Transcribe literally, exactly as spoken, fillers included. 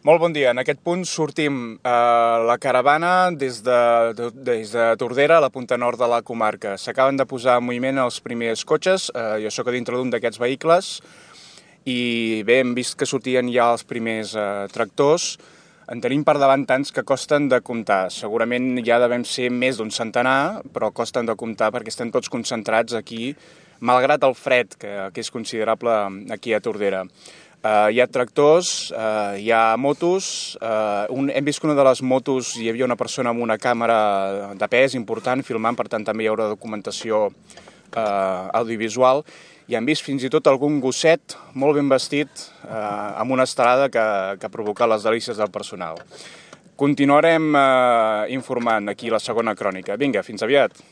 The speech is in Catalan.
Molt bon dia. En aquest punt sortim a la caravana des de, des de Tordera, a la punta nord de la comarca. S'acaben de posar en moviment els primers cotxes, eh, jo sóc a dintre d'un d'aquests vehicles, i bé, hem vist que sortien ja els primers eh, tractors. En tenim per davant tants que costen de comptar. Segurament ja devem ser més d'un centenar, però costen de comptar perquè estem tots concentrats aquí, malgrat el fred, que, que és considerable aquí a Tordera. Uh, hi ha tractors, uh, hi ha motos, uh, un, hem vist que una de les motos hi havia una persona amb una càmera de pes important filmant, per tant també hi haurà documentació uh, audiovisual, i hem vist fins i tot algun gosset molt ben vestit uh, amb una estelada que, que ha provocat les delícies del personal. Continuarem uh, informant aquí la segona crònica. Vinga, fins aviat!